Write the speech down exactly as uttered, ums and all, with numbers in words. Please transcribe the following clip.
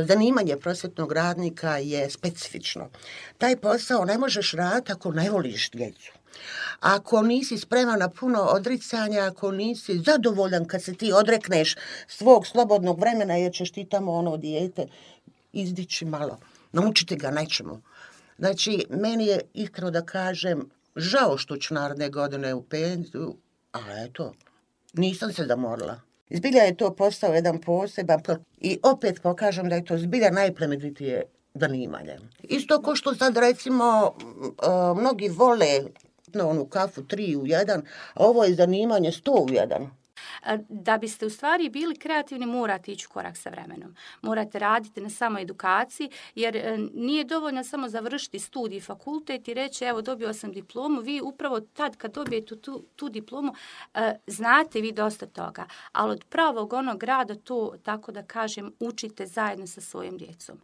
zanimanje prosvjetnog radnika je specifično. Taj posao ne možeš raditi ako ne voliš djecu. Ako nisi spreman na puno odricanja, ako nisi zadovoljan kad se ti odrekneš svog slobodnog vremena jer ćeš ti tamo ono dijete izdići malo, naučiti ga nečemu. Znači, meni je iskreno da kažem, žao što ću naredne godine u penziju, ali eto, nisam se zamorila. Zbilja je to postao jedan poseban i opet pokažem da je to zbilja najplemenitije zanimanje. Isto ko što sad recimo uh, mnogi vole na onu kafu tri u jedan, a ovo je zanimanje sto u jedan. Da biste u stvari bili kreativni, morate ići u korak sa vremenom. Morate raditi na samoedukaciji, jer nije dovoljno samo završiti studij, fakultet i reći evo dobio sam diplomu. Vi upravo tad kad dobijete tu, tu diplomu znate vi dosta toga, ali od pravog onog rada to, tako da kažem, učite zajedno sa svojim djecom.